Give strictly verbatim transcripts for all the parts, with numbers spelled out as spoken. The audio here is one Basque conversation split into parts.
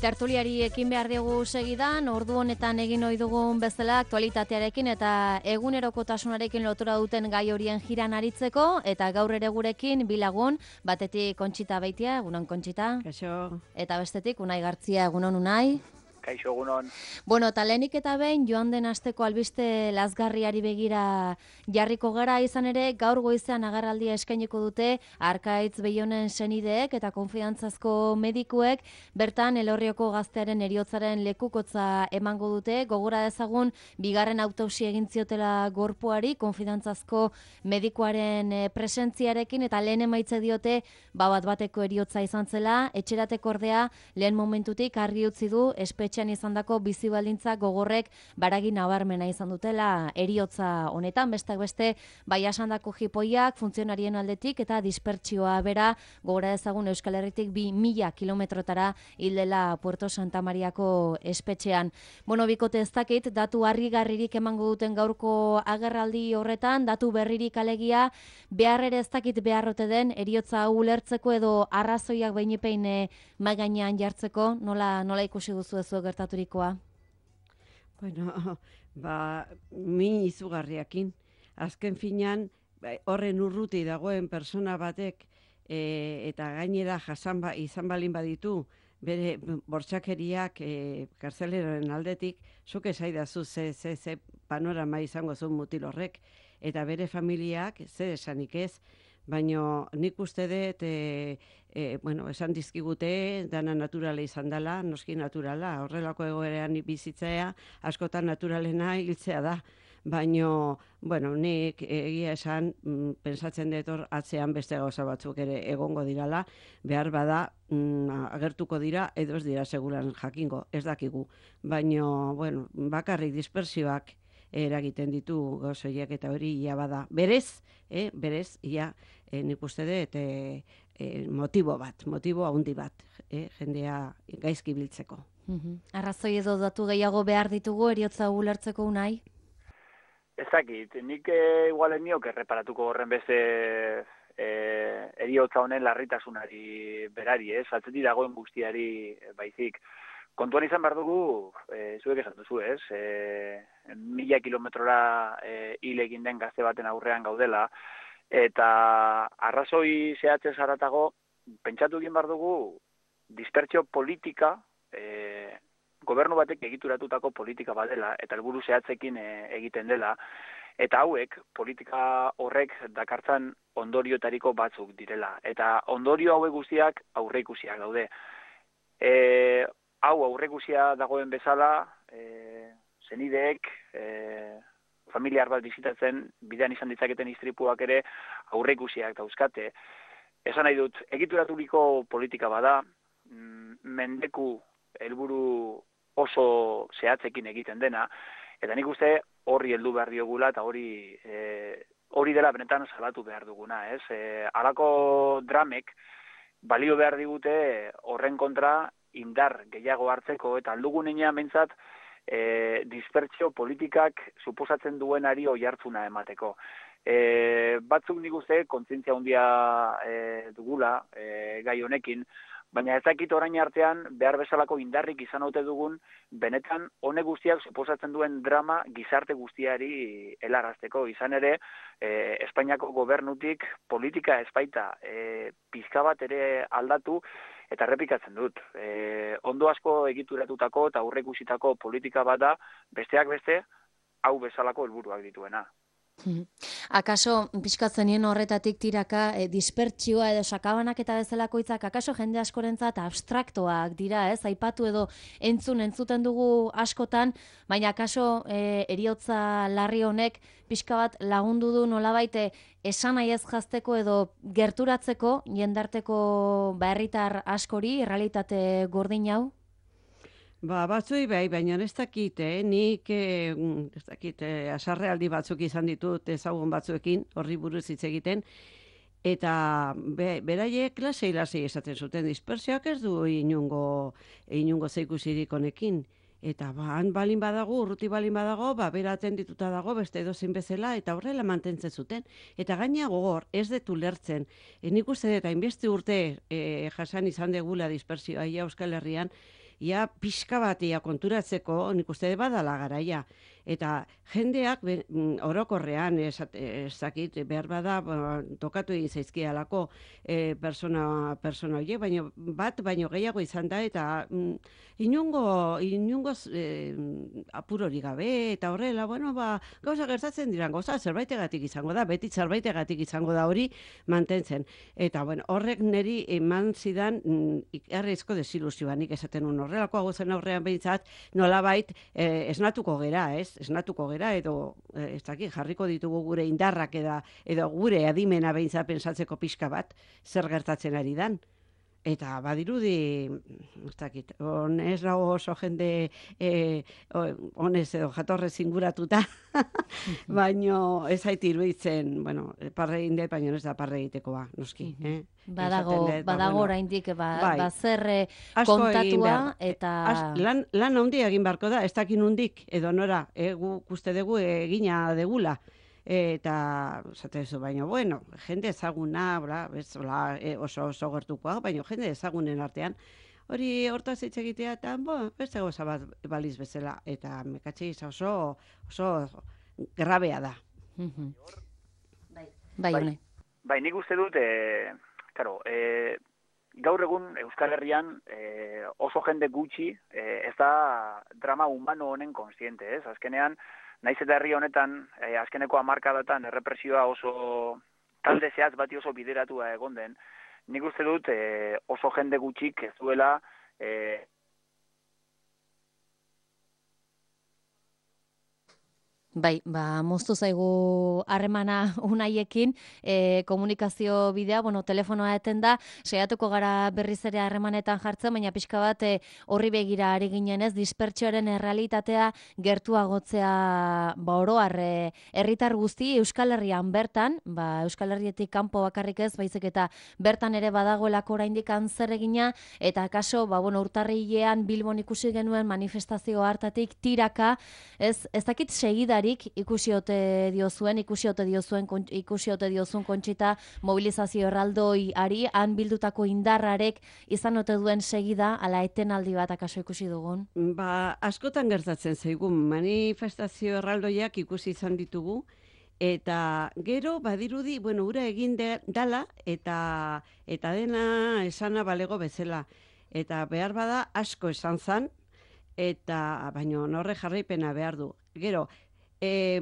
Tertuliari ekin behar diogu segidan, ordu honetan egin ohi dugun bezala aktualitatearekin eta egunerokotasunarekin lotura duten gai horien jiran aritzeko, eta gaur ere gurekin bilagun, batetik Kontxita Beitia, egunon Kontxita. Kaixo. Eta bestetik Unai Gartzia, egunon Unai. Kaixo, egunon. Bueno, eta lehenik eta behin joan den asteko albiste lazgarriari begira jarriko gara, izan ere gaur goizean agerraldia eskainiko dute Arkaitz Beionen senideek eta konfiantzazko medikuek, bertan Elorrioko gaztearen heriotzaren lekukotza emango dute. Gogora dezagun bigarren autopsia egin ziotela gorpuari konfiantzazko medikuaren presentziarekin, eta lehen emaitze diote ba bat bateko heriotza izan zela. Etxerateko ordea lehen momentutik argi utzi du espetxean izandako bizi baldintza gogorrek baragi nabarmena izan dutela heriotza honetan, besteak beste bai asandako jipoiak, funtzionarien aldetik eta dispertsioa bera. Gogora ezagun Euskal Herritik bi mila kilometrotara hildela Puerto Santa Mariako espetxean. Bueno, bikote ez dakit, datu harrigarririk emango duten gaurko agerraldi horretan, datu berririk alegia, behar ere ez dakit beharrote den heriotza hau ulertzeko edo arrazoiak behinepein mahai gainean jartzeko, nola, nola ikusi duzu ez gertaturikoa? Bueno, ba, min izugarriakin. Azken finean, horren urruti dagoen persona batek e, eta gainera jasan ba, izan balin baditu, bere bortxakeriak e, kartzeleraren aldetik, zuk esaidazu ze, ze, ze panorama izango zuen mutil horrek, eta bere familiak, ze esanik ez, baina nik uste dut, e, e, bueno, esan dizkigute, dana naturala izan dela, noski naturala, horrelako egoeran bizitzea, askotan naturalena hiltzea da. Baina, bueno, nik egia esan, mm, pensatzen dut hor atzean beste gauza batzuk ere egongo dirala, behar bada mm, agertuko dira, edo ez dira seguran jakingo, ez dakigu. Baina, bueno, bakarrik dispersioak eragiten ditu gauzoiak eta hori ia bada. Berez, eh, berez, ia eh, nik uste dut eh, eh, motibo bat, motibo handi bat, eh, jendea gaizki biltzeko. Mm-hmm. Arrazoi edo datu gehiago behar ditugu heriotza ulertzeko, Unai? Ez dakit, nik e, igualen niok erreparatuko horren beste e, heriotza honen larritasunari berari, ez? Atzetik dagoen guztiari baizik. Kontuan izan behar dugu, e, zuek esan duzu, ez? E, mila kilometrora e, hil egin den gazte baten aurrean gaudela, eta arrazoi zehatzez haratago, pentsatu egin behar dugu, dispertsio politika, e, gobernu batek egituratutako politika badela, eta helburu zehatzekin e, egiten dela, eta hauek, politika horrek dakartzan ondoriotariko batzuk direla. Eta ondorio hauek guztiak aurreikusiak daude. E, hau aurreikusia dagoen bezala, e, zenideek, e, familiar bat bizitatzen, bidean izan ditzaketen istripuak ere aurreikusiak dauzkate. Esan nahi dut, egituraturiko politika bada, mendeku helburu oso zehatzekin egiten dena, eta nik uste horri heldu behar diogula, eta hori e, hori dela benetan salatu behar duguna, ez? E, halako dramek balio behar digute horren kontra indar gehiago hartzeko, eta aldugunean behintzat e, dispertsio politikak suposatzen duenari oihartzuna emateko. E, batzuk nik uste kontzientzia handia e, dugula e, gai honekin, baina ez dakit orain artean behar bezalako indarrik izan ote dugun, benetan honek guztiak suposatzen duen drama gizarte guztiari helarazteko. Izan ere, e, Espainiako gobernutik politika espaita e, pizka bat ere aldatu, eta errepikatzen dut. E, ondo asko egituratutako eta aurreikusitako politika bada, besteak beste, hau bezalako helburuak dituena. Akaso, pixkatzenien horretatik tiraka, e, dispertsioa edo sakabanak eta bezalako hitzak, akaso jende askorentzat abstraktoak dira, ez? Aipatu edo entzun entzuten dugu askotan, baina akaso e, heriotza larri honek pixka bat lagundu du nolabait esan nahi ez jazteko edo gerturatzeko jendarteko ba, herritar askori, errealitate gordin hau? Ba, batzui bai, baina ez dakit, eh? nik eh, ez dakit, eh, asarrealdi batzuk izan ditut ezagun batzuekin, horri buruz hitz egiten, eta be, beraiek lasei lasei esaten zuten, dispersioak ez du inungo, inungo zeikusirik honekin. Eta ba, han balin badago, urruti balin badago, ba, bera atendituta dago, beste edozin bezala, eta horrela mantentzen zuten. Eta gaina gogor, ez detu lertzen. E, nik uste dut, hainbeste urte e, jasan izan degula dispersioa ia Euskal Herrian, ia pixka bat ia konturatzeko, nik uste badala garaia. Eta jendeak be, orokorrean ezakit behar bada tokatu egin zaizkialako e, persona, persona horiek, baina bat baino gehiago izan da eta mm, inungo, inungo e, apurori gabe eta horrela, bueno, ba, gauza gertatzen diran, gauza zerbaitegatik izango da, beti zerbaitegatik izango da hori mantentzen. Eta bueno, horrek niri eman zidan mm, ikarrizko desilusioa, nik esaten un horrelako zen aurrean behintzat, nolabait e, esnatuko gera, ez? Esnatuko gera edo ez dakit jarriko ditugu gure indarrak eda, edo gure adimena behintzat pentsatzeko pixka bat zer gertatzen ari dan. Eta badirudi, ez dakit, on ez dago oso jende eh, honez edo jatorrez inguratuta, baino ez zait iruditzen, bueno, parre egin dut, baino ez da parre egitekoa, noski. Eh? Badago, dut, ba, badago bueno, oraindik ba, bai, ba zer asko egin kontatua behar. eta... As, lan, lan handia egin beharko da, ez dakin hundik, edo nora, e, guk uste dugu egina degula. Eta, zate zu, baina, bueno, jende ezaguna, bla, bez, bla, e, oso, oso gertukoa, baina jende ezagunen artean, hori hortaz hitz egitea, eta, bo, beste goza bat baliz bezala, eta mekatxe oso, oso grabea da. Bai, bai, bai, bai, nik uste dut, e, karo, e, gaur egun Euskal Herrian e, oso jende gutxi e, ez da drama humano honen konsiente, ez? Azkenean, naiz eta herri honetan, eh, azkeneko hamarkadatan errepresioa oso talde zehaz bati oso bideratua egon den, nik uste dut eh, oso jende gutxik ez duela eh, Bai, ba, moztu zaigu harremana unaiekin, e, komunikazio bidea, bueno, telefonoa eten da, saiatuko gara berriz ere harremanetan jartzen, baina pixka bat e, horri begira ari ginen ez, dispertsioaren errealitatea gertuagotzea ba, oroar e, herritar guzti Euskal Herrian bertan, ba, Euskal Herrietik kanpo bakarrik ez, baizik eta bertan ere badagoelako oraindik zer egina, eta kaso, ba, bueno, urtarrilean Bilbon ikusi genuen manifestazio hartatik tiraka, ez, ez dakit segida ikusi ote diozuen, ikusi ote diozuen, ikusi ote diozuen Kontxita mobilizazio erraldoi ari, han bildutako indarrarek izan ote duen segida, ala etenaldi bat akaso ikusi dugun? Ba, askotan gertatzen zaigun, manifestazio erraldoiak ikusi izan ditugu, eta gero badirudi, bueno, ura egin de, dala, eta, eta dena esana balego bezala. Eta behar bada asko esan zan, eta baino norre jarraipena behar du. Gero, Eh,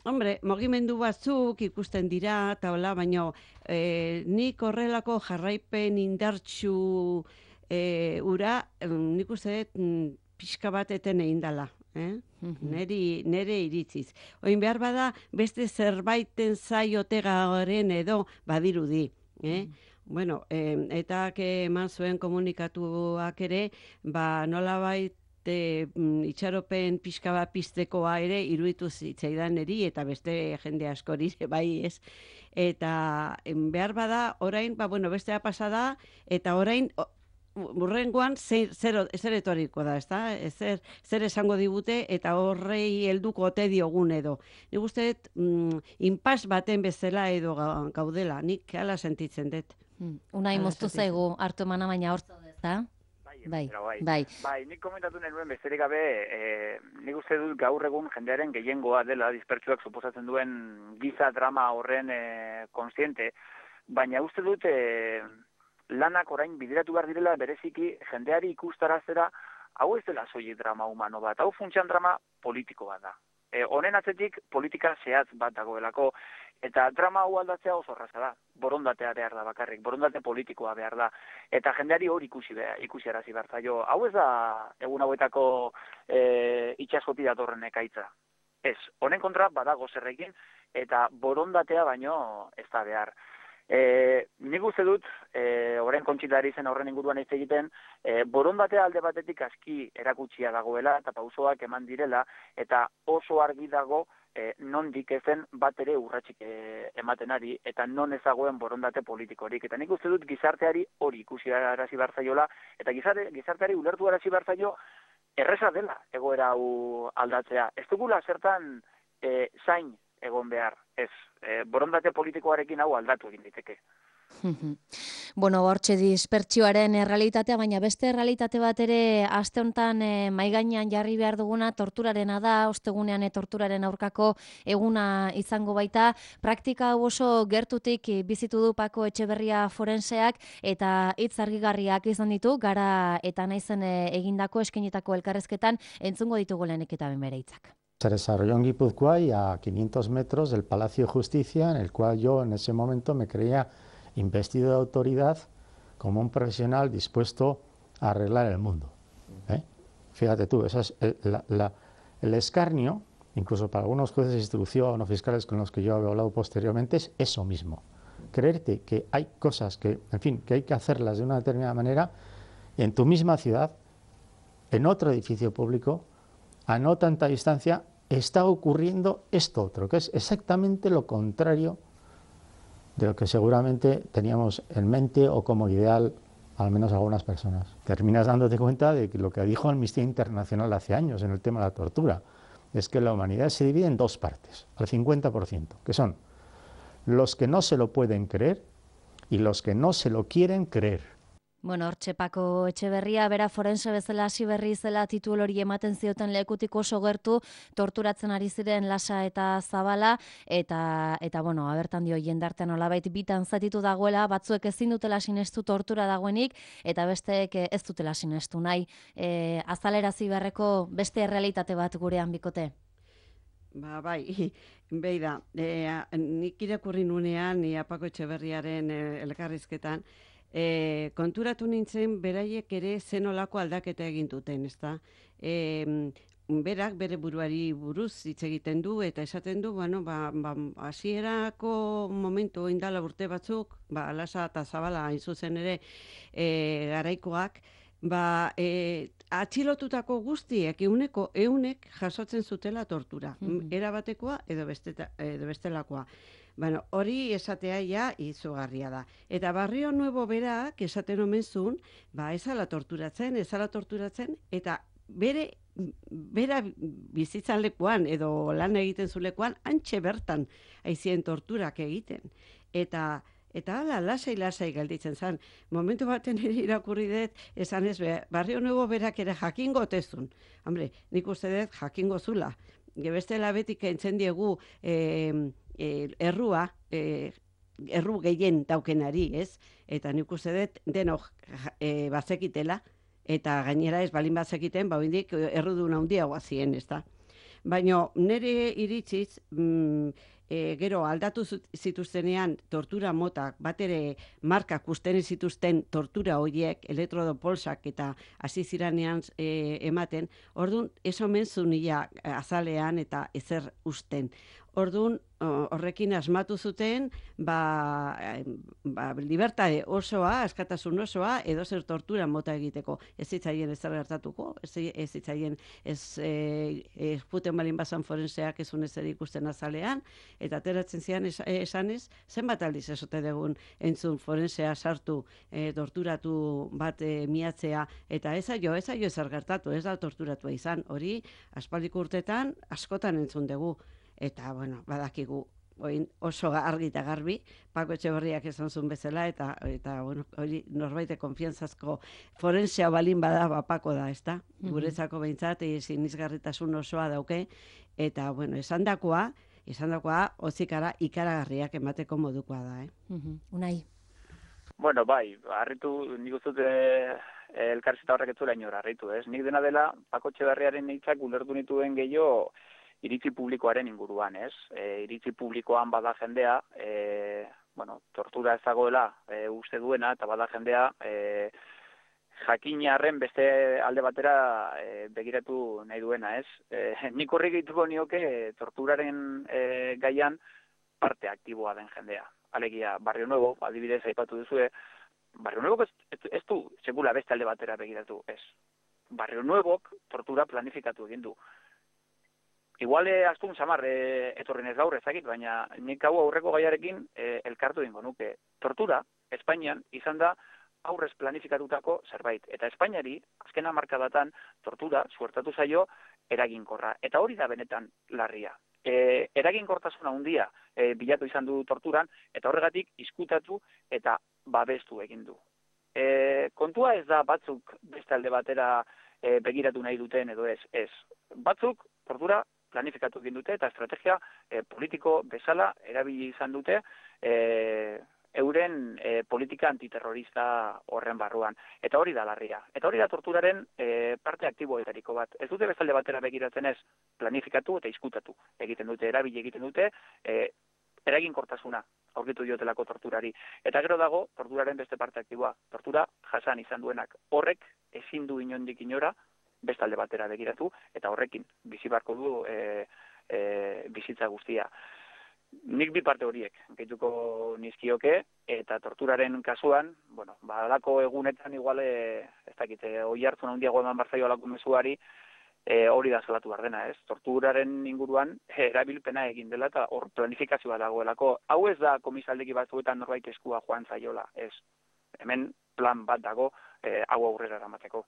hombre, mugimendu batzuk ikusten dira, eta hola, baina eh, nik horrelako jarraipen indartsu eh, ura, nik uste dut pixka bat eten egin dela. Eh? Mm-hmm. Neri, nere iritziz. Oin behar bada, beste zerbaiten zaiote garen edo badirudi. Eh? Mm-hmm. Bueno, eh, eta eman zuen komunikatuak ere, ba nolabait E, itxaropen pixka bat piztekoa ere iruditu zitzaidan eri eta beste jende askori bai ez. Eta en, behar bada orain, ba, bueno, bestea pasada eta orain burrengoan zer, zer, zer etoriko da, ezta? Zer, zer esango digute eta horrei helduko ote diogun edo. Nik uste dut mm, inpas baten bezala edo gaudela, nik hala sentitzen dut. Hmm. Unai moztu zaigu hartu emana baina hor zaudez, da? Bai, bai, bai. Bai, nik komentatu nenuen besterik gabe, e, nik uste dut gaur egun jendearen gehiengoa dela, dispertsuak suposatzen duen giza drama horren e, konsiente, baina uste dut e, lanak orain bideratu behar direla bereziki jendeari ikustarazera, hau ez dela soilik drama humano bat, hau funtsean drama politiko bat da. E, honen atzetik politika zehatz bat dagoelako, eta drama hau aldatzea oso erraza da, borondatea behar da bakarrik, borondate politikoa behar da, eta jendeari hori ikusi behar, ikusi arazi behar zaio. Hau ez da egun hauetako e, itxaskoti datorren ekaitza. Ez, honen kontra badago zerrekin, eta borondatea baino ez da behar. E, nik uste dut, e, orain Kontxitari zen horren inguruan hitz egiten, e, borondatea alde batetik aski erakutsia dagoela, eta pausoak eman direla, eta oso argi dago, E, nondik ezen bat ere urratsik e, ematen ari, eta non ezagoen borondate politikorik. Eta nik uste dut gizarteari hori ikusi arazi behar zaiola, eta gizarte, gizarteari ulertu arazi behar zaio erreza dela egoera hau aldatzea. Ez dugula zertan e, zain egon behar, ez. E, borondate politikoarekin hau aldatu egin diteke. Bueno, hortxe dispertsioaren errealitatea, baina beste errealitate bat ere aste honetan e, mahai gainean jarri behar duguna torturarena da, ostegunean e, torturaren aurkako eguna izango baita. Praktika hau oso gertutik bizitu du Pako Etxeberria forenseak eta hitz argigarriak izan ditu, gara eta naizen e, egindako eskainitako elkarrezketan entzungo ditugu lehenik eta ben bere hitzak. Se desarrolló en Guipúzcoa y a quinientos metros del Palacio de Justicia, en el cual yo en ese momento me creía investido de autoridad como un profesional dispuesto a arreglar el mundo. ¿eh? Fíjate tú, esa es el, la, la, el escarnio, incluso para algunos jueces de instrucción o fiscales con los que yo he hablado posteriormente, es eso mismo. Creerte que hay cosas que, en fin, que hay que hacerlas de una determinada manera en tu misma ciudad, en otro edificio público, a no tanta distancia, está ocurriendo esto otro, que es exactamente lo contrario de lo que seguramente teníamos en mente o como ideal, al menos algunas personas. Terminas dándote cuenta de que lo que dijo Amnistía Internacional hace años en el tema de la tortura, es que la humanidad se divide en dos partes, al cincuenta por ciento, que son los que no se lo pueden creer y los que no se lo quieren creer. Bueno, hortxe Pako Etxeberria, bera forense bezala hasi berri zela titulu hori ematen zioten lekutik oso gertu, torturatzen ari ziren Lasa eta Zabala, eta, eta bueno, abertan dio jendartean olabait bitan zatitu dagoela, batzuek ezin dutela sinestu tortura dagoenik, eta besteek ez dutela sinestu nahi. E, azalerazi beharreko beste errealitate bat gurean bikote? Ba, bai, beida, e, nik irakurri nunean, ni Pako Etxeberriaren e, elkarrizketan, E, konturatu nintzen beraiek ere zenolako aldaketa egin duten, ezta? E, berak bere buruari buruz hitz egiten du eta esaten du, bueno, ba, ba, hasierako momentu indala urte batzuk, ba, Lasa eta Zabala hain zuzen ere e, garaikoak, ba, e, atxilotutako guztiek euneko eunek jasotzen zutela tortura, mm-hmm. erabatekoa edo, besteta, edo bestelakoa. Bueno, hori esatea ja izugarria da. Eta Barrio Nuevo berak esaten omen zuen, ba, ezala torturatzen, ezala torturatzen, eta bere, bera bizitzan lekuan, edo lan egiten zulekuan, antxe bertan aizien torturak egiten. Eta, eta hala, lasai-lasai gelditzen zen. Momentu baten ere irakurri dut, esan ez, Barrio Nuevo berak ere jakingo tezun. Hombre, nik uste dut jakingo zula. Bestela betik entzen diegu, eh, errua, eh, erru gehien daukenari, ez? Eta nik uste dut denok e, bazekitela, eta gainera ez balin bazekiten, ba bindik errudun handia guazien, ez da? Baina nire iritziz, mm, e, gero aldatu zituztenean tortura motak, bat ere markak usten zituzten tortura horiek, elektrodopolsak eta hasi ziranean e, ematen, orduan ez omen zunia azalean eta ezer usten. Orduan, horrekin asmatu zuten, ba, ba, libertade osoa, askatasun osoa, edo zer tortura mota egiteko. Ez zitzaien ez gertatuko, ez, ez zitzaien ez, e, ez puten balin bazan forenseak ezun ez ikusten azalean, eta ateratzen zian es, esanez, zenbat aldiz esote dugun entzun forensea sartu, e, torturatu bat e, miatzea, eta ez aio, ez aio ezer gertatu, ez da torturatua izan, hori aspaldiko urtetan askotan entzun dugu. Eta, bueno, badakigu oin oso argi eta garbi, Pako Etxeberriak esan zuen bezala, eta, eta bueno, hori norbaite konfiantzazko forensea balin bada, ba, Pako da, ez da? Mm-hmm. Guretzako behintzat, sinizgarritasun osoa dauke, eta, bueno, esan dakoa, esan dakoa, hozikara ikaragarriak emateko modukoa da, eh? Mm-hmm. Unai? Bueno, bai, harritu, nik uztut eh, elkarrizketa horrek etzula inor harritu, ez? Nik dena dela, Pako Etxeberriaren hitzak ulertu nituen gehiago, iritzi publikoaren inguruan, ez? E, iritzi publikoan bada jendea, e, bueno, tortura ez dagoela e, uste duena, eta bada jendea e, jakinarren beste alde batera e, begiratu nahi duena, ez? E, nik horrik egituko nioke torturaren e, gaian parte aktiboa den jendea. Alegia, Barrio Nuevo, adibidez aipatu duzue, Barrio Nuevo ez, ez, ez du sekula beste alde batera begiratu, ez? Barrio Nuevok tortura planifikatu egin du. Igual eh, astun samar eh, etorren ez gaur ezakit, baina nik hau aurreko gaiarekin eh, elkartu dingo nuke. Tortura, Espainian, izan da aurrez planifikatutako zerbait. Eta Espainiari, azken hamarkadatan, tortura, suertatu zaio, eraginkorra. Eta hori da benetan larria. e, eraginkortasuna handia e, bilatu izan du torturan, eta horregatik izkutatu eta babestu egin du. E, kontua ez da batzuk beste alde batera e, begiratu nahi duten edo ez. Ez. Batzuk tortura planifikatu egin dute eta estrategia e, politiko bezala erabili izan dute e, euren e, politika antiterrorista horren barruan. Eta hori da larria. Eta hori da torturaren e, parte aktiboetariko bat. Ez dute bezalde batera begiratzen ez planifikatu eta izkutatu egiten dute, erabili egiten dute, e, eraginkortasuna aurkitu diotelako torturari. Eta gero dago, torturaren beste parte aktiboa. Tortura jasan izan duenak. Horrek ezin du inondik inora bestalde batera begiratu, eta horrekin bizi barko du e, e, bizitza guztia. Nik bi parte horiek gehituko nizkioke, eta torturaren kasuan, bueno, badalako egunetan igual, e, ez dakite, oi hartzun handiago eman barzaio alako mezuari, e, hori da salatu behar dena, ez? Torturaren inguruan erabilpena egin dela, eta hor planifikazioa dagoelako. Hau ez da komisaldeki batzuetan norbait eskua joan zaiola, ez? Hemen plan bat dago e, hau aurrera eramateko.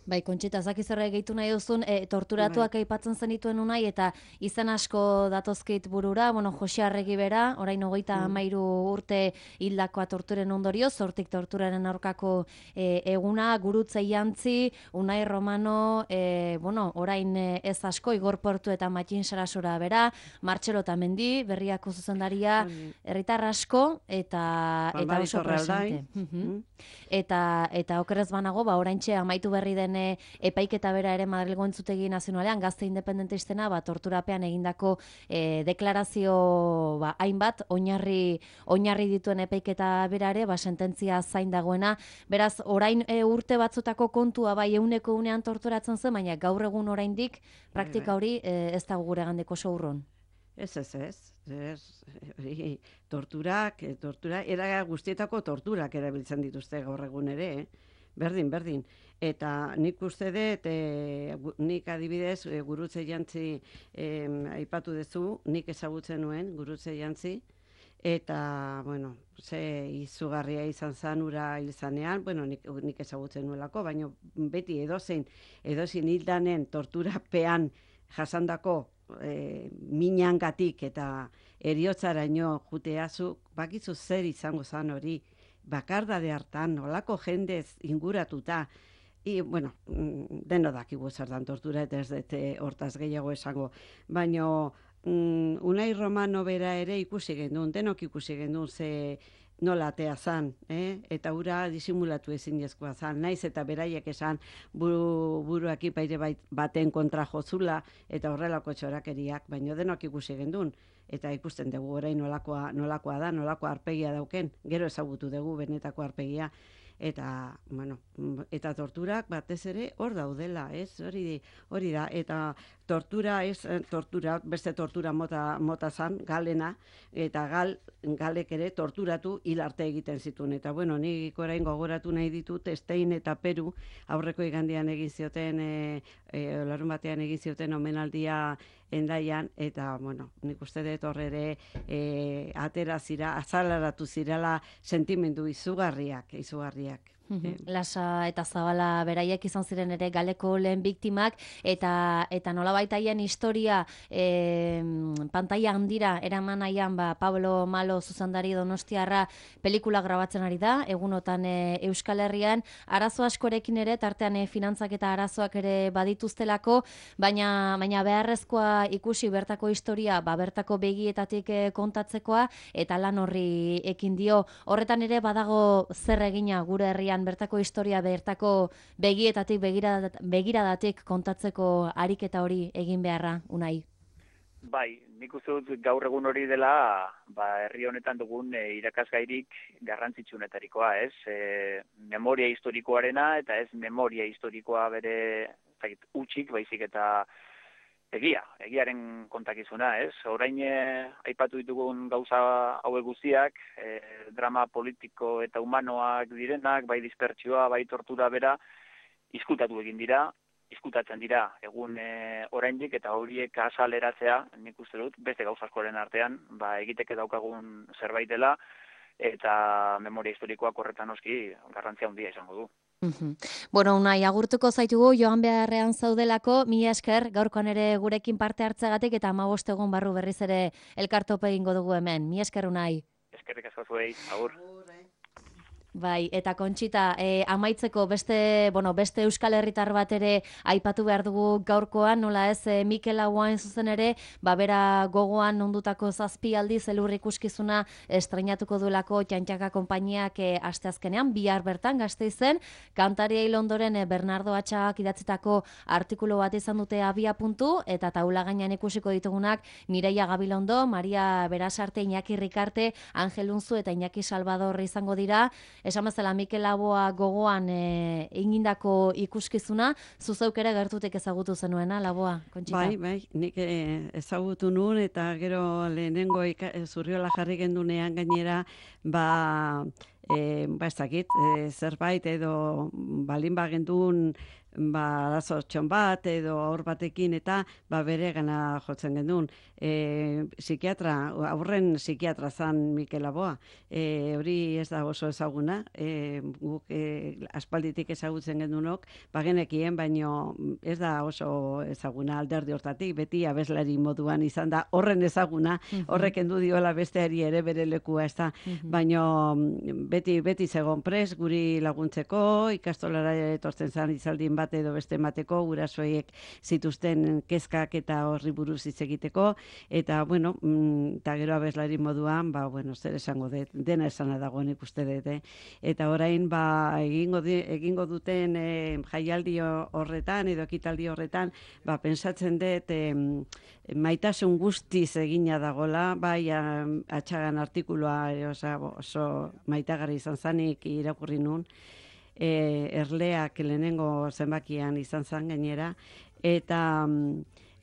Bai, Kontxita, zaki zerre gehitu nahi duzun, e, torturatuak aipatzen zenituen unai, eta izan asko datozkeit burura, bueno, Jose Arregi bera, orain hogeita hamairu urte hildakoa torturen ondorio, zortik torturaren aurkako e, eguna, Gurutze Jantzi, Unai Romano, e, bueno, orain ez asko, Igor Portu eta Matxin Sarasora bera, Martxelo Tamendi, Berriako zuzendaria, herritar asko, eta, eta oso presente. Eta, eta okerrez banago, ba, oraintxe amaitu berri den epaiketa bera ere Madrilgo Entzutegi Nazionalean gazte independentistena ba, torturapean egindako e, deklarazio ba, hainbat oinarri, oinarri dituen epaiketa bera ere ba, sententzia zain dagoena. Beraz, orain e, urte batzutako kontua bai euneko unean torturatzen zen, baina gaur egun oraindik praktika hori e, ez dago gure gandeko sourron. Ez, ez, ez. ez hori, torturak, tortura, era guztietako torturak erabiltzen dituzte gaur egun ere, eh? Berdin, berdin. Eta nik uste dut, e, nik adibidez, e, Gurutze Jantzi e, aipatu duzu, nik ezagutzen nuen, Gurutze Jantzi, eta, bueno, ze izugarria izan zan ura hil zanean, bueno, nik, nik ezagutzen nuelako, baina beti edozein, edozein hildanen torturapean jasandako e, minangatik eta eriotzaraino juteazu, bakizu zer izango zan hori, bakardade hartan, olako jendez inguratuta, I, bueno, deno dakigu zer dan tortura, eta ez dute hortaz gehiago esango, baina mm, Unai Romano bera ere ikusi gendun, denok ikusi gendun ze nola atea zan, eh? Eta ura disimulatu ezinezkoa zan, naiz eta beraiek esan buru, buruak ipaire baten kontra jozula, eta horrelako txorakeriak, baina denok ikusi gendun. Eta ikusten dugu orain nolakoa, nolakoa da, nolakoa arpegia dauken, gero ezagutu dugu benetako arpegia, eta, bueno, eta torturak batez ere hor daudela, ez? Hori, hori da, eta tortura ez, tortura, beste tortura mota, mota zan, galena, eta gal, galek ere torturatu hil arte egiten zituen. Eta, bueno, nik orain gogoratu nahi ditut, Estein eta Peru, aurreko igandian egin zioten, e, e, larun batean egin zioten omenaldia Endaian, eta, bueno, nik uste dut horre ere e, atera zira, azalaratu zirela sentimendu izugarriak, izugarriak. Lasa eta Zabala beraiek izan ziren ere galeko lehen biktimak, eta eta nolabait haien historia e, pantaila handira eraman nahian ba, Pablo Malo zuzendari donostiarra pelikula grabatzen ari da, egunotan e, Euskal Herrian, arazo askorekin ere, tartean e, finantzak eta arazoak ere badituztelako, baina, baina beharrezkoa ikusi bertako historia, ba, bertako begietatik e, kontatzekoa, eta lan horri ekin dio. Horretan ere badago zer egina gure herrian bertako historia, bertako begietatik, begiradatik, begiradatik kontatzeko ariketa hori egin beharra, Unai? Bai, nik uste dut gaur egun hori dela, ba, herri honetan dugun e, irakasgairik garrantzitsunetarikoa, ez? E, memoria historikoarena eta ez memoria historikoa bere zait, utxik, baizik eta egia, egiaren kontakizuna, ez? Orain eh, aipatu ditugun gauza hauek guztiak, eh, drama politiko eta humanoak direnak, bai dispertsioa, bai tortura bera, izkutatu egin dira, izkutatzen dira egun eh, oraindik, eta horiek azaleratzea, nik uste dut, beste gauza askoren artean, ba, egiteke daukagun zerbait dela, eta memoria historikoak horretan oski garrantzia handia izango du. Uhum. Bueno, Unai, agurtuko zaitugu joan beharrean zaudelako, mila esker gaurkoan ere gurekin parte hartzeagatik eta hamabost egun barru berriz ere elkartope egingo dugu hemen. Mila esker, Unai. Eskerrik asko zuei, agur. Bai, eta Kontxita, eh, amaitzeko beste, bueno, beste Euskal Herritar bat ere aipatu behar dugu gaurkoan, nola ez, eh, Mikel Laboain zuzen ere, babera gogoan ondutako zazpi aldiz elur ikuskizuna estreinatuko duelako Txantxaka konpainiak eh, asteazkenean, bihar bertan Gasteizen, kantaria hil ondoren eh, Bernardo Atxagak idatzitako artikulu bat izan dute abia puntu, eta taula gainean ikusiko ditugunak Mireia Gabilondo, Maria Berasarte, Iñaki Rikarte, Angel Unzu eta Iñaki Salvador izango dira. Esan bezala Mikel Laboa gogoan e, egindako ikuskizuna, zuzeuk ere gertutik ezagutu zenuena, Laboa, Kontxita? Bai, bai, nik eh, ezagutu nun, eta gero lehenengo ika, zurriola jarri gendunean gainera, ba, e, ba ez dakit, e, zerbait edo balin bagendun, ba, arazotxon bat edo aur batekin eta ba, bere gana jotzen gendun. E, psikiatra, aurren psikiatra zan Mikel Laboa. E, hori ez da oso ezaguna, e, guk e, aspalditik ezagutzen gendunok, bagenekien, baino ez da oso ezaguna alderdi hortatik, beti abeslari moduan izan da horren ezaguna, horrek endu diola besteari ere bere lekua, ez da, baino beti, beti zegon pres guri laguntzeko, ikastolara etortzen zan izaldin bat edo beste emateko, gurasoiek zituzten kezkak eta horri buruz hitz egiteko, eta, bueno, eta gero abeslari moduan, ba, bueno, zer esango dut, dena esana dagoen ikuste dut, eh? Eta orain, ba, egingo, di, egingo duten eh, jaialdi horretan, edo ekitaldi horretan, ba, pensatzen dut, eh, maitasun guztiz egina dagola, bai, Atxagan artikulua, oso, oso maitagarri izan zanik irakurri nun, E, erleak lehenengo zenbakian izan zan gainera, eta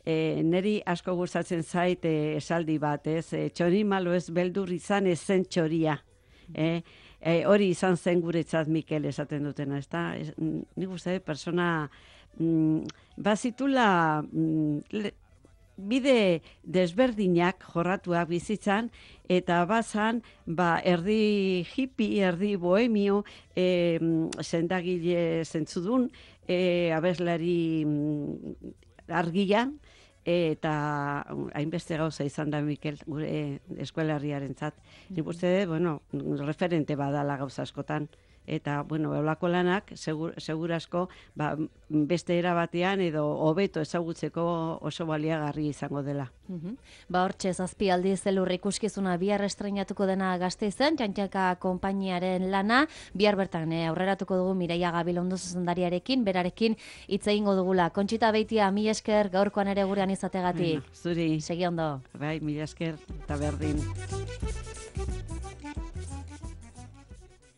e, neri asko gustatzen zait e, esaldi bat, ez, e, txori malo ez beldur izan ezen txoria, e, e, hori izan zen guretzat Mikel esaten dutena, ez da, ez, nik uste, persona mm, bazitula mm, le, bide desberdinak jorratuak bizitzan, eta bazan, ba, erdi hippie, erdi bohemio, e, sendagile zentzudun, e, abeslari argian, eta hainbeste gauza izan da Mikel gure eskualarriarentzat. Nik uste, bueno, referente badala gauza askotan. Eta, bueno, eolako lanak, segur, segurasko, ba, beste erabatean edo hobeto ezagutzeko oso baliagarri izango dela. Uhum. Ba, hortxe, zazpi aldiz elur ikuskizuna bihar estreinatuko dena Gasteizen, Txantxaka konpainiaren lana, bihar bertan eh, aurreratuko dugu Mireia Gabilondo zuzendariarekin, berarekin hitz egingo dugula. Kontxita Beitia, mila esker gaurkoan ere gurean izategatik. Bueno, zuri. Segi ondo. Bai, mila esker, eta berdin.